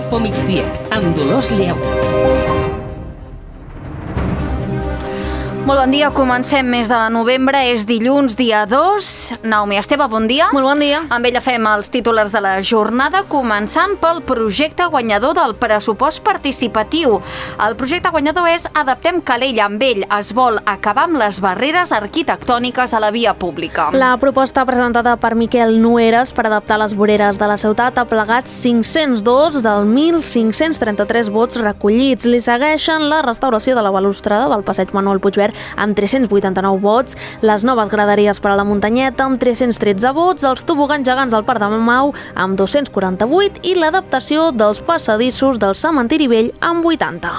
Info Migdia, amb Dolors Lleó. Molt bon dia, comencem mes de novembre, és dilluns, dia 2. Naomi Esteve, bon dia. Molt bon dia. Amb ella fem els títolars de la jornada, començant pel projecte guanyador del pressupost participatiu. El projecte guanyador és Adaptem Calella. Amb ell es vol acabar amb les barreres arquitectòniques a la via pública. La proposta presentada per Miquel Nueras per adaptar les voreres de la ciutat ha plegat 502 dels 1.533 vots recollits. Li segueixen la restauració de la balustrada del passeig Manuel Puigverd amb 389 vots, les noves graderies per a la muntanyeta amb 313 vots, els tobogans gegants al Parc de Mau amb 248 i l'adaptació dels passadissos del cementiri vell amb 80.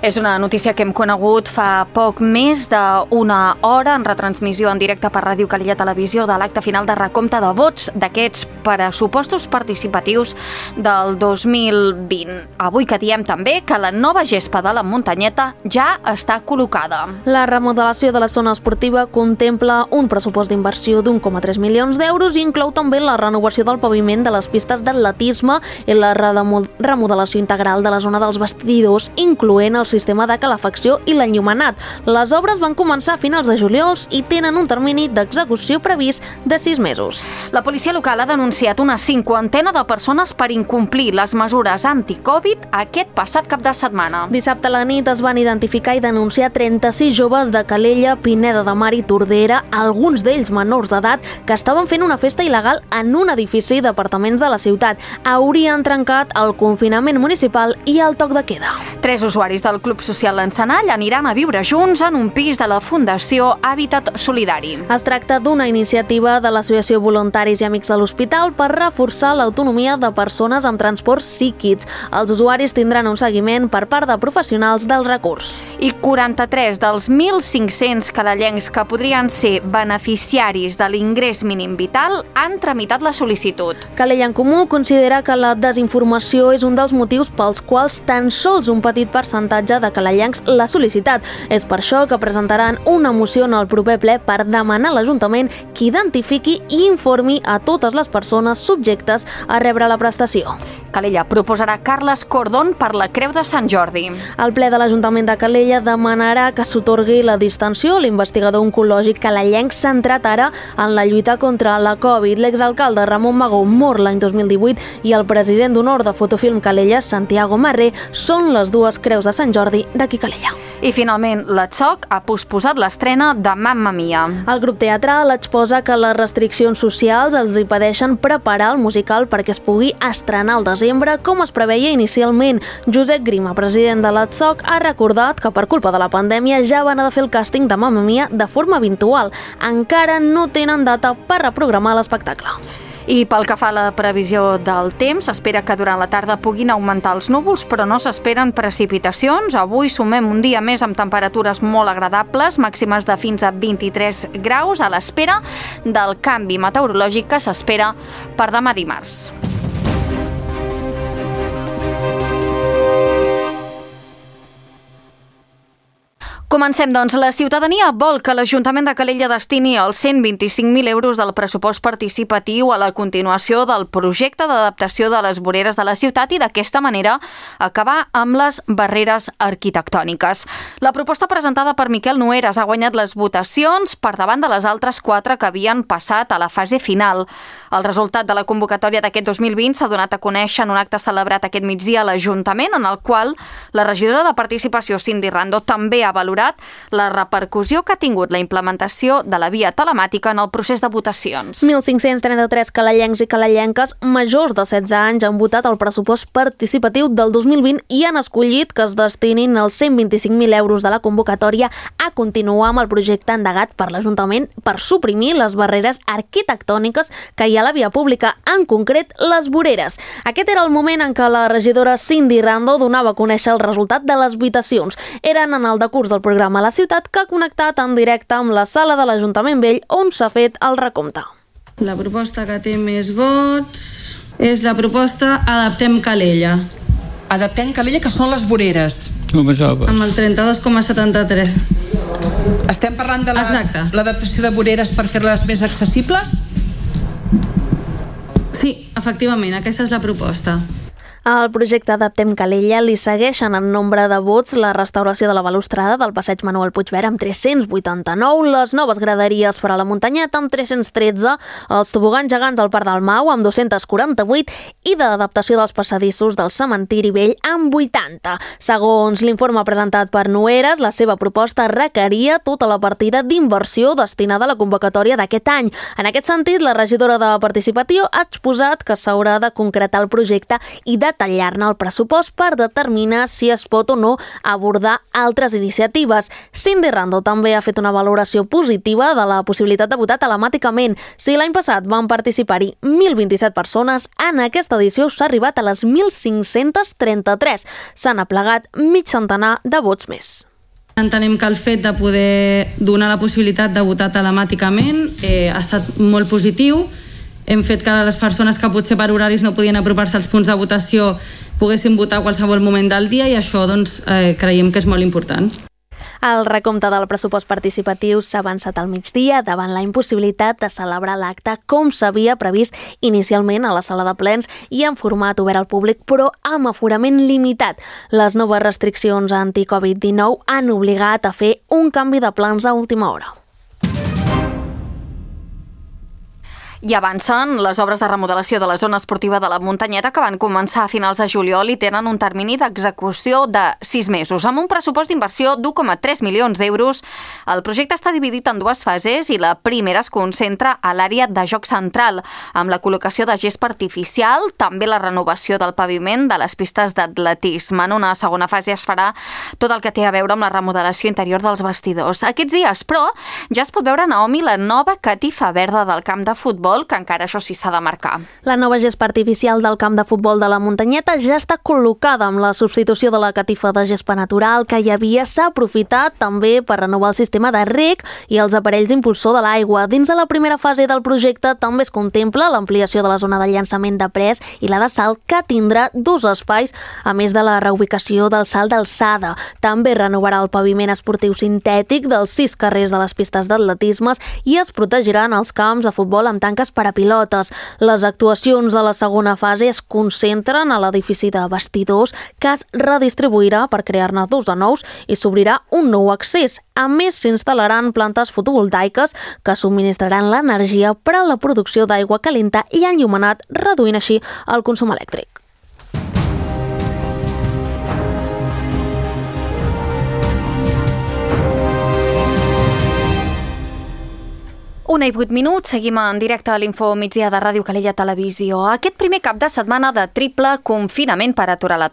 És una notícia que hem conegut fa poc més d'una hora en retransmissió en directe per Ràdio Calella Televisió de l'acte final de recompte de vots d'aquests pressupostos participatius del 2020. Avui que diem també que la nova gespa de la muntanyeta ja està col·locada. La remodelació de la zona esportiva contempla un pressupost d'inversió d'1,3 milions d'euros i inclou també la renovació del paviment de les pistes d'atletisme i la remodelació integral de la zona dels vestidors, incloent el sistema de calefacció i l'enllumenat. Les obres van començar a finals de juliol i tenen un termini d'execució previst de 6 mesos. La policia local ha denunciat una 50ena de persones per incomplir les mesures anti-Covid aquest passat cap de setmana. Dissabte a la nit es van identificar i denunciar 36 joves de Calella, Pineda de Mar i Tordera, alguns d'ells menors d'edat, que estaven fent una festa il·legal en un edifici d'apartaments de la ciutat. Haurien trencat el confinament municipal i el toc de queda. 3 usuaris del Club Social L'Encenall aniran a viure junts en un pis de la Fundació Hàbitat Solidari. Es tracta d'una iniciativa de l'Associació Voluntaris i Amics de l'Hospital per reforçar l'autonomia de persones amb trastorns psíquics. Els usuaris tindran un seguiment per part de professionals del recurs. I 43 dels 1.500 calellencs que podrien ser beneficiaris de l'ingrés mínim vital han tramitat la sol·licitud. Calella en Comú considera que la desinformació és un dels motius pels quals tan sols un petit percentatge de calellencs l'ha sol·licitat. És per això que presentaran una moció en el proper ple per demanar a l'Ajuntament que identifiqui i informi a totes les persones subjectes a rebre la prestació. Calella proposarà Carles Cordón per la Creu de Sant Jordi. El ple de l'Ajuntament de Calella demanarà que s'atorgui la distinció a l'investigador oncològic calellenc centrat ara en la lluita contra la Covid. L'exalcalde Ramon Magó mor l'any 2018 i el president d'honor de Fotofilm Calella, Santiago Marré, són les dues creus de Sant Jordi d'aquí Calella. I finalment, l'Atsoc ha posposat l'estrena de Mamma Mia. El grup teatral exposa que les restriccions socials els impedeixen preparar el musical perquè es pugui estrenar al desembre com es preveia inicialment. Josep Grima, president de l'Atsoc, ha recordat que per culpa de la pandèmia ja van haver de fer el càsting de Mamma Mia de forma virtual. Encara no tenen data per reprogramar l'espectacle. I pel que fa a la previsió del temps, s'espera que durant la tarda puguin augmentar els núvols, però no s'esperen precipitacions. Avui sumem un dia més amb temperatures molt agradables, màximes de fins a 23 graus, a l'espera del canvi meteorològic que s'espera per demà dimarts. Comencem, doncs. La ciutadania vol que l'Ajuntament de Calella destini els 125.000 euros del pressupost participatiu a la continuació del projecte d'adaptació de les voreres de la ciutat i d'aquesta manera acabar amb les barreres arquitectòniques. La proposta presentada per Miquel Nueras ha guanyat les votacions per davant de les altres 4 que havien passat a la fase final. El resultat de la convocatòria d'aquest 2020 s'ha donat a conèixer en un acte celebrat aquest migdia a l'Ajuntament, en el qual la regidora de Participació, Cindy Rando, també ha valorat la repercussió que ha tingut la implementació de la via telemàtica en el procés de votacions. 1.533 calellencs i calellenques majors de 16 anys han votat el pressupost participatiu del 2020 i han escollit que es destinin els 125.000 euros de la convocatòria a continuar amb el projecte endegat per l'Ajuntament per suprimir les barreres arquitectòniques que hi ha a la via pública, en concret les voreres. Aquest era el moment en què la regidora Cindy Rando donava a conèixer el resultat de les votacions. Eren en el decurs del programa a la ciutat que ha connectat en directe amb la sala de l'Ajuntament Vell on s'ha fet el recompte. La proposta que té més vots és la proposta Adaptem Calella. Adaptem Calella, que són les voreres. Amb el 32,73. Estem parlant de Exacte. l'adaptació de voreres per fer-les més accessibles? Sí, efectivament, aquesta és la proposta. Al projecte Adaptem Calella li segueixen en nombre de vots la restauració de la balustrada del passeig Manuel Puigverd amb 389, les noves graderies per a la muntanyeta amb 313, els tobogans gegants al Parc del Mau amb 248 i d'adaptació dels passadissos del cementiri vell amb 80. Segons l'informe presentat per Noeres, la seva proposta requeria tota la partida d'inversió destinada a la convocatòria d'aquest any. En aquest sentit, la regidora de Participació ha exposat que s'haurà de concretar el projecte i detallar-ne el pressupost per determinar si es pot o no abordar altres iniciatives. Cindy Rando també ha fet una valoració positiva de la possibilitat de votar telemàticament. Si l'any passat van participar-hi 1.027 persones, en aquesta edició s'ha arribat a les 1.533. S'han aplegat mig centenar de vots més. Entenem que el fet de poder donar la possibilitat de votar telemàticament ha estat molt positiu. Hem fet que les persones que potser per horaris no podien apropar-se als punts de votació poguessin votar a qualsevol moment del dia i això creiem que és molt important. El recompte del pressupost participatiu s'ha avançat al migdia davant la impossibilitat de celebrar l'acte com s'havia previst inicialment a la sala de plens i en format obert al públic, però amb aforament limitat. Les noves restriccions anti-Covid-19 han obligat a fer un canvi de plans a última hora. I avancen les obres de remodelació de la zona esportiva de la Muntanyeta que van començar a finals de juliol i tenen un termini d'execució de 6 mesos. Amb un pressupost d'inversió d'1,3 milions d'euros, el projecte està dividit en 2 fases i la primera es concentra a l'àrea de joc central, amb la col·locació de gespa artificial, també la renovació del paviment de les pistes d'atletisme. En una segona fase es farà tot el que té a veure amb la remodelació interior dels vestidors. Aquests dies, però, ja es pot veure a Naomi la nova catifa verda del camp de futbol, que encara això sí s'ha de marcar. La nova gespa artificial del camp de futbol de la Muntanyeta ja està col·locada amb la substitució de la catifa de gespa natural que hi havia. S'ha aprofitat també per renovar el sistema de reg i els aparells impulsor de l'aigua. Dins de la primera fase del projecte també es contempla l'ampliació de la zona de llançament de pres i la de salt, que tindrà 2 espais, a més de la reubicació del salt d'alçada. També renovarà el paviment esportiu sintètic dels 6 carrers de les pistes d'atletisme i es protegiran els camps de futbol amb tanques per a pilotes. Les actuacions de la segona fase es concentren a l'edifici de vestidors, que es redistribuirà per crear-ne 2 de nous i s'obrirà un nou accés. A més, s'instal·laran plantes fotovoltaiques que subministraran l'energia per a la producció d'aigua calenta i enllumenat, reduint així el consum elèctric. Una i 8 minuts, seguim en directe a l'Info Migdia de Ràdio Calella Televisió. Aquest primer cap de setmana de triple confinament per aturar la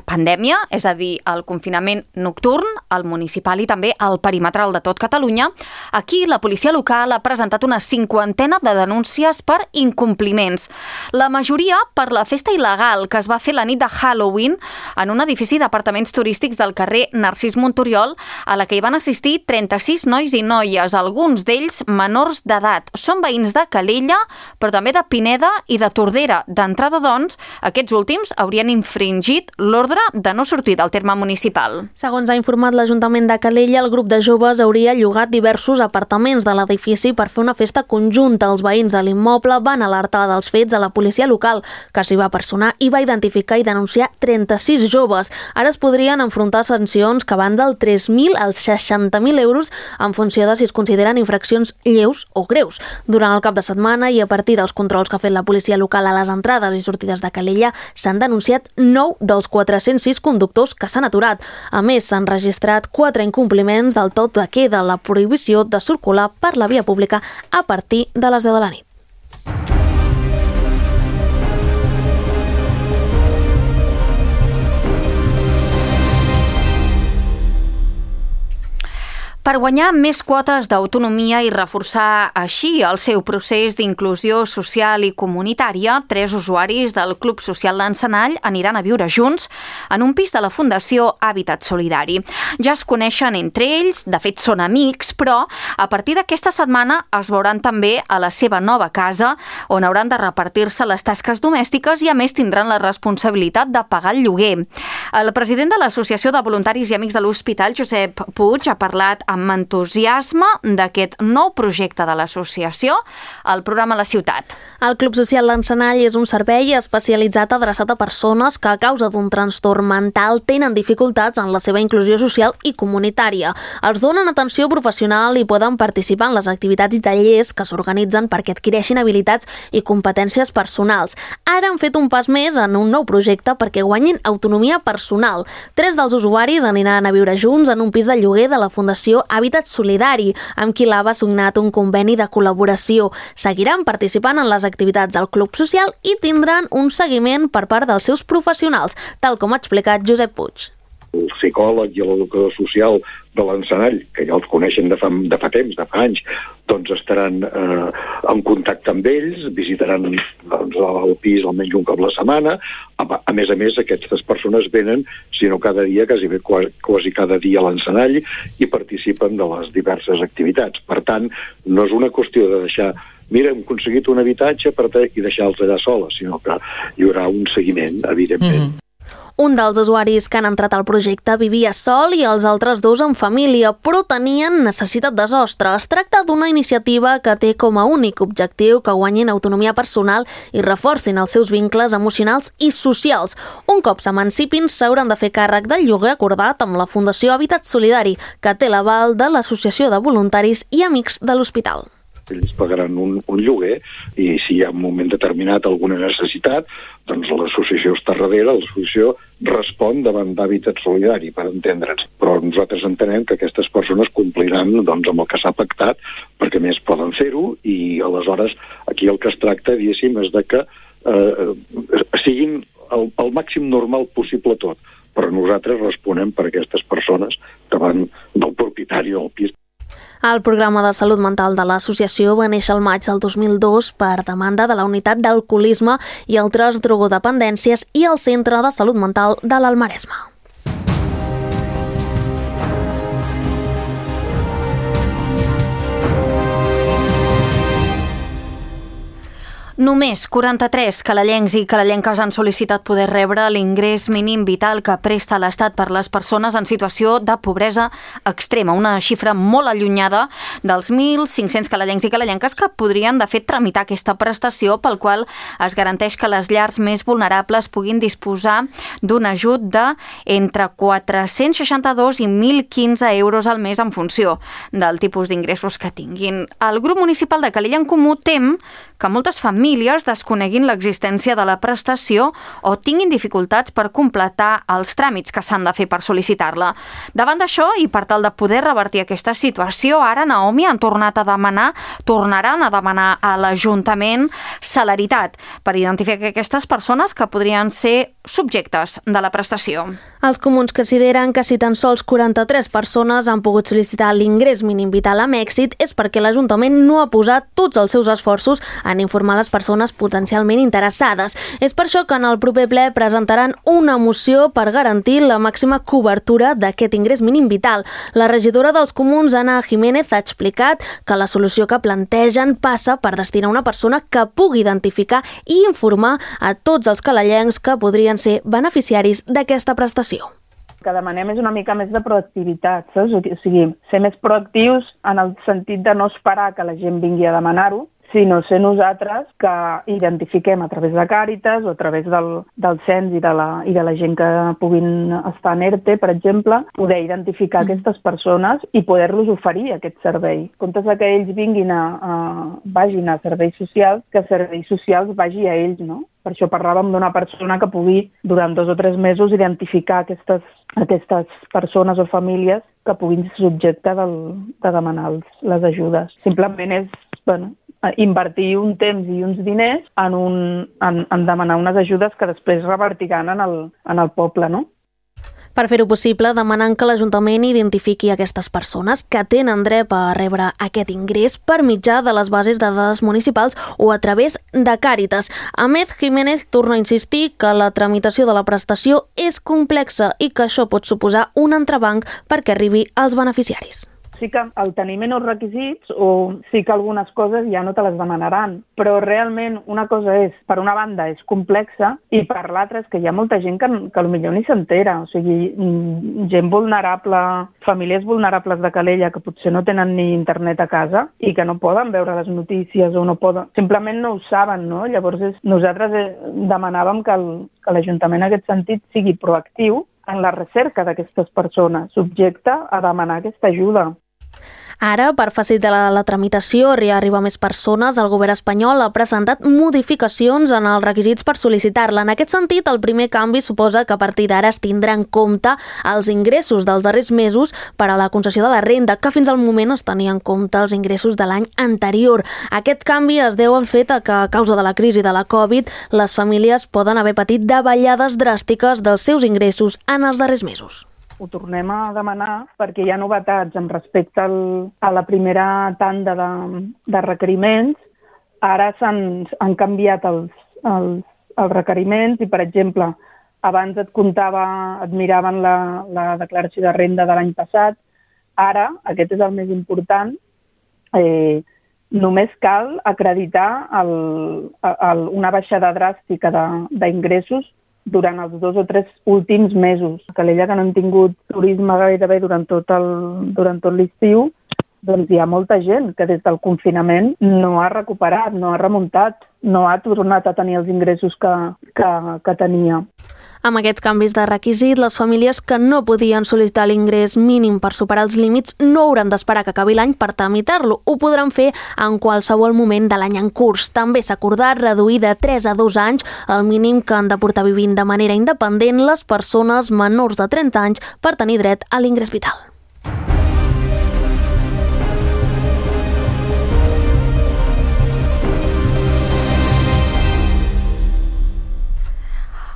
pandèmia, és a dir, el confinament nocturn, el municipal i també el perimetral de tot Catalunya, aquí la policia local ha presentat una 50ena de denúncies per incompliments. La majoria per la festa il·legal que es va fer la nit de Halloween en un edifici d'apartaments turístics del carrer Narcís Montoriol, a la que hi van assistir 36 nois i noies, alguns d'ells menors d'edat. Són veïns de Calella, però també de Pineda i de Tordera. D'entrada, doncs, aquests últims haurien infringit l'ordre de no sortir del terme municipal. Segons ha informat l'Ajuntament de Calella, el grup de joves hauria llogat diversos apartaments de l'edifici per fer una festa conjunta. Els veïns de l'immoble van alertar dels fets a la policia local, que s'hi va personar i va identificar i denunciar 36 joves. Ara es podrien enfrontar sancions que van del 3.000 als 60.000 euros en funció de si es consideren infraccions lleus o greus. Durant el cap de setmana i a partir dels controls que ha fet la policia local a les entrades i sortides de Calella, s'han denunciat 9 dels 406 conductors que s'han aturat. A més, s'han registrat 4 incompliments del tot de queda, la prohibició de circular per la via pública a partir de les 10 de la nit. Per guanyar més quotes d'autonomia i reforçar així el seu procés d'inclusió social i comunitària, 3 usuaris del Club Social d'Encenall aniran a viure junts en un pis de la Fundació Hàbitat Solidari. Ja es coneixen entre ells, de fet són amics, però a partir d'aquesta setmana es veuran també a la seva nova casa, on hauran de repartir-se les tasques domèstiques i a més tindran la responsabilitat de pagar el lloguer. El president de l'Associació de Voluntaris i Amics de l'Hospital, Josep Puig, ha parlat amb amb entusiasme d'aquest nou projecte de l'associació, el programa La Ciutat. El Club Social L'Encenall és un servei especialitzat adreçat a persones que a causa d'un trastorn mental tenen dificultats en la seva inclusió social i comunitària. Els donen atenció professional i poden participar en les activitats i tallers que s'organitzen perquè adquireixin habilitats i competències personals. Ara han fet un pas més en un nou projecte perquè guanyin autonomia personal. 3 dels usuaris aniran a viure junts en un pis de lloguer de la Fundació Hàbitat Solidari, amb qui l'AVA ha signat un conveni de col·laboració. Seguiran participant en les activitats del Club Social i tindran un seguiment per part dels seus professionals, tal com ha explicat Josep Puig. El psicòleg i l'educador social de l'Encenall, que ja els coneixen de fa temps, de fa anys, doncs estaran en contacte amb ells, visitaran el pis almenys un cop a la setmana. A més, aquestes persones venen, si no cada dia, quasi cada dia a l'Encenall i participen de les diverses activitats. Per tant, no és una qüestió de deixar mira, hem aconseguit un habitatge i deixar-los allà soles, sinó que hi haurà un seguiment, evidentment. Un dels usuaris que han entrat al projecte vivia sol i els altres 2 en família, però tenien necessitat de sostre. Es tracta d'una iniciativa que té com a únic objectiu que guanyin autonomia personal i reforcin els seus vincles emocionals i socials. Un cop s'emancipin, s'hauran de fer càrrec del lloguer acordat amb la Fundació Hàbitat Solidari, que té l'aval de l'Associació de Voluntaris i Amics de l'Hospital. Ells pagaran un lloguer i si hi ha un moment determinat alguna necessitat, doncs l'associació està darrere, l'associació respon davant d'Hàbitat Solidari, per entendre'ns. Però nosaltres entenem que aquestes persones compliran amb el que s'ha pactat, perquè més poden fer-ho i aleshores aquí el que es tracta, diguéssim, és de que siguin el màxim normal possible tot. Però nosaltres responem per aquestes persones davant del propietari del pis. El programa de salut mental de l'associació va néixer el maig del 2002 per demanda de la Unitat d'Alcoholisme i altres drogodependències i el Centre de Salut Mental de l'Alt-Maresme. Només 43 calellencs i calellenques han sol·licitat poder rebre l'ingrés mínim vital que presta l'Estat per les persones en situació de pobresa extrema, una xifra molt allunyada dels 1.500 calellencs i calellenques que podrien, de fet, tramitar aquesta prestació pel qual es garanteix que les llars més vulnerables puguin disposar d'un ajut de entre 462 i 1.015 euros al mes en funció del tipus d'ingressos que tinguin. El grup municipal de Calella en Comú tem que moltes famílies desconeguin l'existència de la prestació o tinguin dificultats per completar els tràmits que s'han de fer per sol·licitar-la. Davant d'això, i per tal de poder revertir aquesta situació, ara Naomi tornaran a demanar a l'Ajuntament celeritat per identificar aquestes persones que podrien ser subjectes de la prestació. Els comuns consideren que si tan sols 43 persones han pogut sol·licitar l'ingrés mínim vital amb èxit és perquè l'Ajuntament no ha posat tots els seus esforços en informar les persones potencialment interessades. És per això que en el proper ple presentaran una moció per garantir la màxima cobertura d'aquest ingrés mínim vital. La regidora dels comuns, Anna Jiménez, ha explicat que la solució que plantegen passa per destinar una persona que pugui identificar i informar a tots els calellencs que podrien ser beneficiaris d'aquesta prestació. El que demanem és una mica més de proactivitat, saps? O sigui, ser més proactius en el sentit de no esperar que la gent vingui a demanar-ho, sinó ser nosaltres que identifiquem a través de Càritas o a través del cens i de la gent que puguin estar en ERTE, per exemple, poder identificar aquestes persones i poder-los oferir aquest servei. En comptes que ells vagin a serveis socials, que serveis socials vagi a ells, no? Per això parlàvem d'una persona que pugui, durant 2 o 3 mesos, identificar aquestes persones o famílies que puguin ser subjecte de demanar les ajudes. Simplement és, invertir un temps i uns diners en demanar unes ajudes que després revertiran en el poble, no? Per fer-ho possible, demanen que l'Ajuntament identifiqui aquestes persones que tenen dret a rebre aquest ingrés per mitjà de les bases de dades municipals o a través de Càritas. Ahmed Jiménez torna a insistir que la tramitació de la prestació és complexa i que això pot suposar un entrebanc perquè arribi als beneficiaris. sí que al tenir menys requisits o sí que algunes coses ja no te les demanaran, però realment una cosa és, per una banda, és complexa i per l'altra és que hi ha molta gent que potser ni s'entera, o sigui, gent vulnerable, famílies vulnerables de Calella que potser no tenen ni internet a casa i que no poden veure les notícies o no poden, simplement no ho saben, no? Llavors nosaltres demanàvem que l'Ajuntament en aquest sentit sigui proactiu en la recerca d'aquestes persones, subjecte a demanar aquesta ajuda. Ara, per facilitar la tramitació i arribar a més persones, el govern espanyol ha presentat modificacions en els requisits per sol·licitar-la. En aquest sentit, el primer canvi suposa que a partir d'ara es tindrà en compte els ingressos dels darrers mesos per a la concessió de la renda, que fins al moment es tenia en compte els ingressos de l'any anterior. Aquest canvi es deu al fet que, a causa de la crisi de la Covid, les famílies poden haver patit davallades dràstiques dels seus ingressos en els darrers mesos. Ho tornem a demanar perquè hi ha novetats amb respecte a la primera tanda de requeriments. Ara han canviat els requeriments i, per exemple, abans et miraven la declaració de renda de l'any passat. Ara, aquest és el més important, només cal acreditar una baixada dràstica d'ingressos durant els 2 o 3 últims mesos. A Calella, que no han tingut turisme gairebé durant tot l'estiu, doncs hi ha molta gent que des del confinament no ha recuperat, no ha remuntat, no ha tornat a tenir els ingressos que tenia. Amb aquests canvis de requisit, les famílies que no podien sol·licitar l'ingrés mínim per superar els límits no hauran d'esperar que acabi l'any per tramitar-lo. Ho podran fer en qualsevol moment de l'any en curs. També s'ha acordat reduir de 3 a 2 anys el mínim que han de portar vivint de manera independent les persones menors de 30 anys per tenir dret a l'ingrés vital.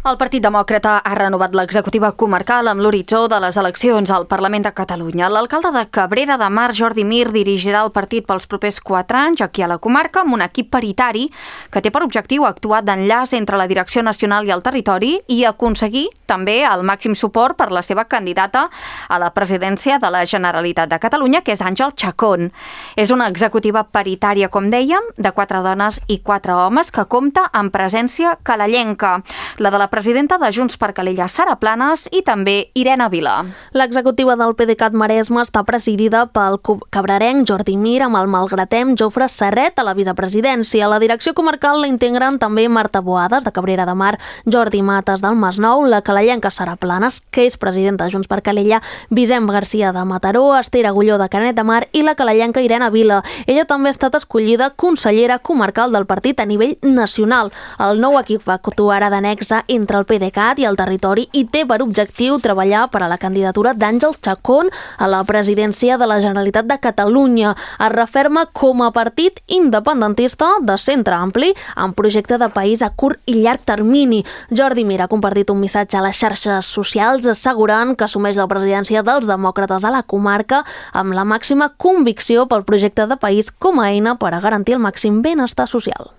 El Partit Demòcrata ha renovat l'executiva comarcal amb l'horitzó de les eleccions al Parlament de Catalunya. L'alcalde de Cabrera de Mar, Jordi Mir, dirigirà el partit pels propers 4 anys aquí a la comarca amb un equip paritari que té per objectiu actuar d'enllaç entre la direcció nacional i el territori i aconseguir també el màxim suport per la seva candidata a la presidència de la Generalitat de Catalunya, que és Àngel Chacón. És una executiva paritària, com dèiem, de 4 dones i 4 homes que compta amb presència calellenca. La de la presidenta de Junts per Calella, Sara Planes, i també Irene Vila. L'executiva del PDeCAT Maresme està presidida pel cabrarenc Jordi Mir amb el malgratem Jofre Serret a la vicepresidència. La direcció comarcal la integren també Marta Boades, de Cabrera de Mar, Jordi Mates, del Masnou, la calellenca Sara Planes, que és presidenta de Junts per Calella, Vicent Garcia, de Mataró, Esther Agulló, de Canet de Mar, i la calellenca Irene Vila. Ella també ha estat escollida consellera comarcal del partit a nivell nacional. El nou equip actuarà d'annexa entre el PDeCAT i el territori i té per objectiu treballar per a la candidatura d'Àngel Chacón a la presidència de la Generalitat de Catalunya. Es referma com a partit independentista de centre ampli amb projecte de país a curt i llarg termini. Jordi Mir ha compartit un missatge a les xarxes socials assegurant que assumeix la presidència dels demòcrates a la comarca amb la màxima convicció pel projecte de país com a eina per a garantir el màxim benestar social.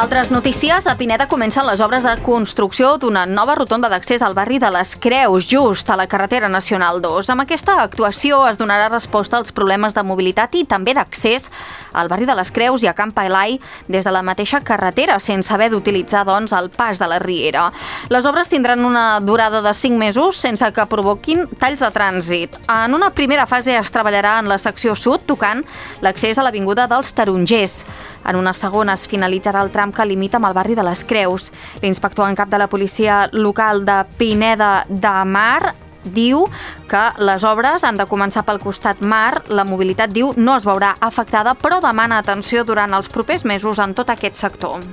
Altres notícies, a Pineda comencen les obres de construcció d'una nova rotonda d'accés al barri de les Creus, just a la carretera nacional 2. Amb aquesta actuació es donarà resposta als problemes de mobilitat i també d'accés al barri de les Creus i a Camp Elai des de la mateixa carretera, sense haver d'utilitzar, doncs, el pas de la Riera. Les obres tindran una durada de 5 mesos sense que provoquin talls de trànsit. En una primera fase es treballarà en la secció sud, tocant l'accés a l'avinguda dels Tarongers. En una segona es finalitzarà el tram que limita amb el barri de les Creus. L'inspector en cap de la policia local de Pineda de Mar diu que les obres han de començar pel costat mar. La mobilitat, diu, no es veurà afectada, però demana atenció durant els propers mesos en tot aquest sector.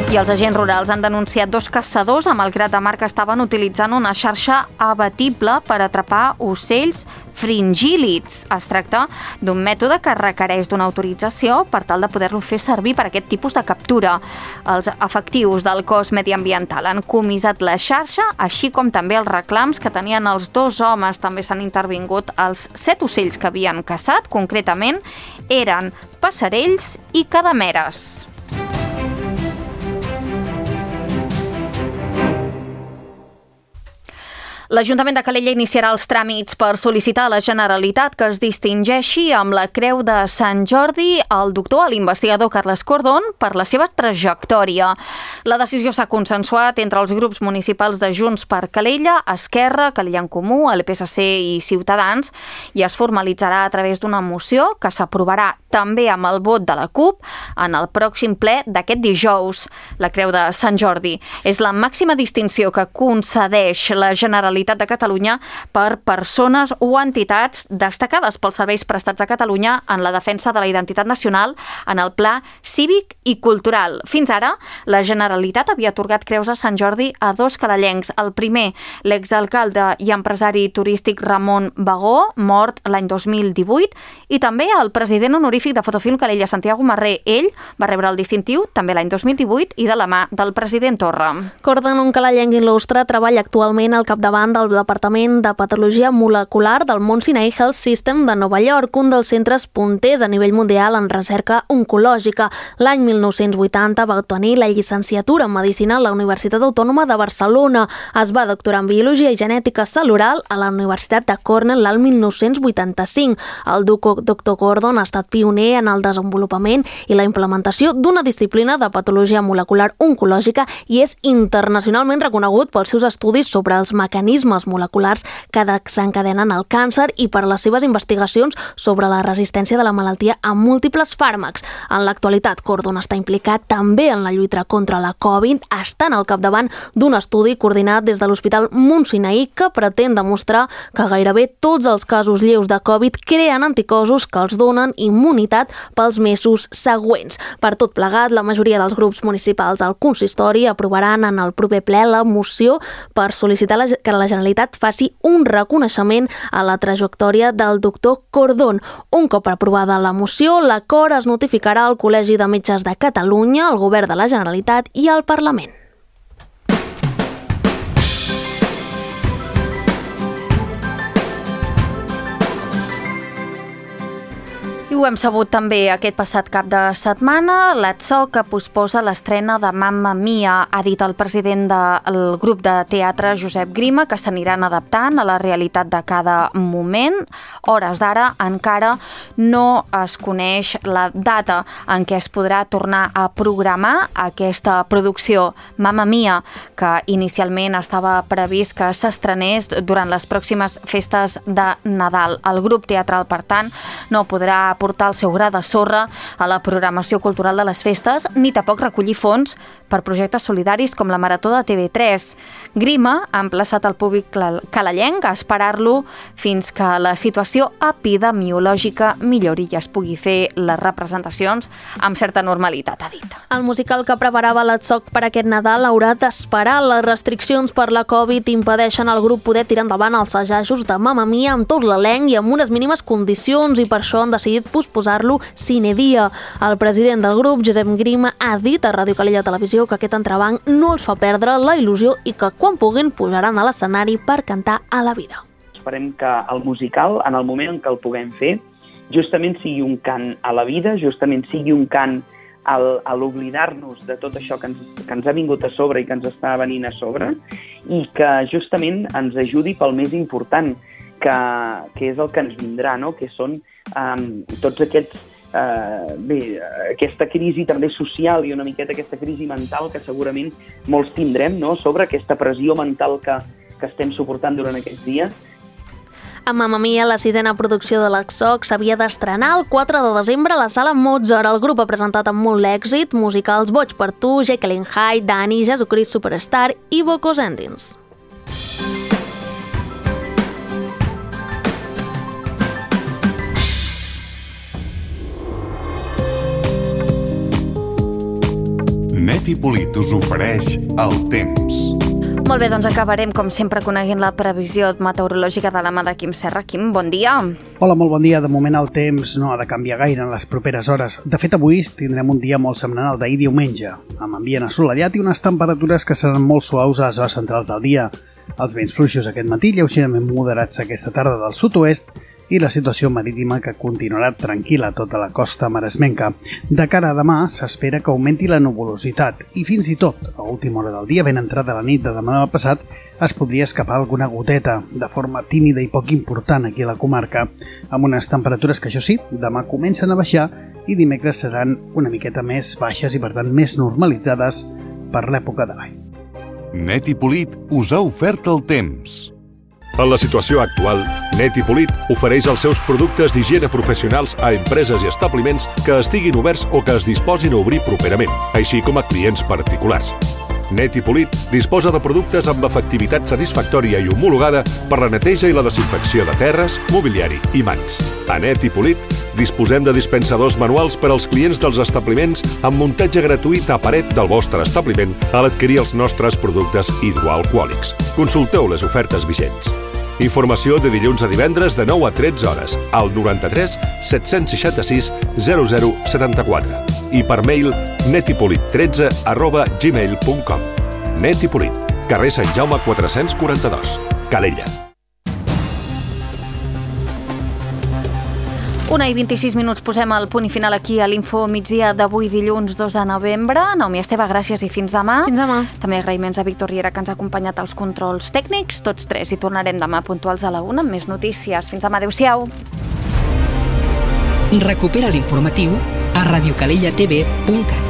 I els agents rurals han denunciat 2 caçadors a Malgrat de Mar que estaven utilitzant una xarxa abatible per atrapar ocells fringílids. Es tracta d'un mètode que requereix d'una autorització per tal de poder-lo fer servir per aquest tipus de captura. Els efectius del cos mediambiental han comissat la xarxa, així com també els reclams que tenien els 2 homes. També s'han intervingut els 7 ocells que havien caçat, concretament eren passerells i cadameres. L'Ajuntament de Calella iniciarà els tràmits per sol·licitar a la Generalitat que es distingeixi amb la Creu de Sant Jordi el doctor, l'investigador Carles Cordón, per la seva trajectòria. La decisió s'ha consensuat entre els grups municipals de Junts per Calella, Esquerra, Calella en Comú, el PSC i Ciutadans, i es formalitzarà a través d'una moció que s'aprovarà també amb el vot de la CUP en el pròxim ple d'aquest dijous. La Creu de Sant Jordi és la màxima distinció que concedeix la Generalitat de Catalunya per persones o entitats destacades pels serveis prestats a Catalunya en la defensa de la identitat nacional en el pla cívic i cultural. Fins ara, la Generalitat havia atorgat creus a Sant Jordi a 2 calellencs. El primer, l'exalcalde i empresari turístic Ramon Bagó, mort l'any 2018, i també el president honorífic de Fotofilm Calella, Santiago Marré. Ell va rebre el distintiu també l'any 2018 i de la mà del president Torra. Cordon, un calellenc il·lustre, treballa actualment al capdavant del Departament de Patologia Molecular del Mount Sinai Health System de Nova York, un dels centres punters a nivell mundial en recerca oncològica. L'any 1980 va obtenir la llicenciatura en Medicina a la Universitat Autònoma de Barcelona. Es va doctorar en Biologia i Genètica Celular a la Universitat de Cornell l'any 1985. El doctor Cordon ha estat pioner en el desenvolupament i la implementació d'una disciplina de patologia molecular oncològica i és internacionalment reconegut pels seus estudis sobre els mecanismes moleculars que desencadenen el càncer i per les seves investigacions sobre la resistència de la malaltia a múltiples fàrmacs. En l'actualitat, Cordon està implicat també en la lluita contra la Covid, estant al capdavant d'un estudi coordinat des de l'Hospital Mount Sinai que pretén demostrar que gairebé tots els casos lleus de Covid creen anticossos que els donen immunitat pels mesos següents. Per tot plegat, la majoria dels grups municipals al consistori aprovaran en el proper ple la moció per sol·licitar que la Generalitat faci un reconeixement a la trajectòria del doctor Cordón. Un cop aprovada la moció, l'acord es notificarà al Col·legi de Metges de Catalunya, al Govern de la Generalitat i al Parlament. I ho hem sabut també aquest passat cap de setmana. L'ATSOC que posposa l'estrena de Mamma Mia. Ha dit el president del grup de teatre, Josep Grima, que s'aniran adaptant a la realitat de cada moment. Hores d'ara encara no es coneix la data en què es podrà tornar a programar aquesta producció Mamma Mia, que inicialment estava previst que s'estrenés durant les pròximes festes de Nadal. El grup teatral, per tant, no podrà portar el seu gra de sorra a la programació cultural de les festes, ni tampoc recollir fons per projectes solidaris com la Marató de TV3. Grima ha emplaçat el públic calellenc a esperar-lo fins que la situació epidemiològica millori i es pugui fer les representacions amb certa normalitat, ha dit. El musical que preparava l'ATSOC per aquest Nadal haurà d'esperar. Les restriccions per la Covid impedeixen al grup poder tirar endavant els assajos de Mamma Mia amb tot l'elenc i amb unes mínimes condicions, i per això han decidit posposar-lo sine dia. El president del grup, Josep Grima, ha dit a Ràdio Calella Televisió que aquest entrebanc no els fa perdre la il·lusió i que quan puguin pujaran a l'escenari per cantar a la vida. Esperem que el musical, en el moment en què el puguem fer, justament sigui un cant a la vida, justament sigui un cant a l'oblidar-nos de tot això que ens ha vingut a sobre i que ens està venint a sobre, i que justament ens ajudi pel més important, que és el que ens vindrà, no? Que són tots aquests aquesta crisi també social i una miqueta aquesta crisi mental que segurament molts tindrem, no? Sobre aquesta pressió mental que estem suportant durant aquests dies. A Mamma Mia, la 6a producció de l'ATSOC, s'havia d'estrenar el 4 de desembre a la Sala Mozart. El grup ha presentat amb molt èxit musicals Boig per tu, Jekyll and Hyde, Dani, Jesucrist Superstar i Bocos Endings. Net i Polit us ofereix el temps. Molt bé, doncs acabarem, com sempre, coneguent la previsió meteorològica de la mà de Quim Serra. Quim, bon dia. Hola, molt bon dia. De moment el temps no ha de canviar gaire en les properes hores. De fet, avui tindrem un dia molt semblant al d'ahir diumenge, amb ambient assolellat i unes temperatures que seran molt suaus a les hores centrals del dia. Els vents fluixos aquest matí, lleugerament moderats aquesta tarda del sud-oest, i la situació marítima que continuarà tranquil·la a tota la costa maresmenca. De cara a demà s'espera que augmenti la nuvolositat i fins i tot, a última hora del dia, ben entrada la nit de demà passat, es podria escapar alguna goteta, de forma tímida i poc important aquí a la comarca, amb unes temperatures que, això sí, demà comencen a baixar i dimecres seran una miqueta més baixes i, per tant, més normalitzades per l'època de l'any. Net i Polit us ha ofert el temps. En la situació actual, Net i Polit ofereix els seus productes d'higiene professionals a empreses i establiments que estiguin oberts o que es disposin a obrir properament, així com a clients particulars. Net i Polit disposa de productes amb l'efectivitat satisfactòria i homologada per la neteja i la desinfecció de terres, mobiliari i mans. A Net i Polit disposem de dispensadors manuals per als clients dels establiments amb muntatge gratuït a paret del vostre establiment a l'adquirir els nostres productes hidroalcohòlics. Consulteu les ofertes vigents. Informació de dilluns a divendres de 9 a 13 hores al 93 766 0074 i per mail netipolit13@gmail.com. Net i Polit, carrer Sant Jaume 442, Calella. 1:26, posem el punt i final aquí a l'Info Migdia d'avui dilluns 2 de novembre. Naomi Esteve, gràcies i fins demà. Fins demà. També agraïments a Víctor Riera, que ens ha acompanyat als controls tècnics, tots tres, i tornarem demà puntuals a la 1 amb més notícies. Fins demà, adéu-siau. Recupera l'informatiu a radiocalellatv.cat.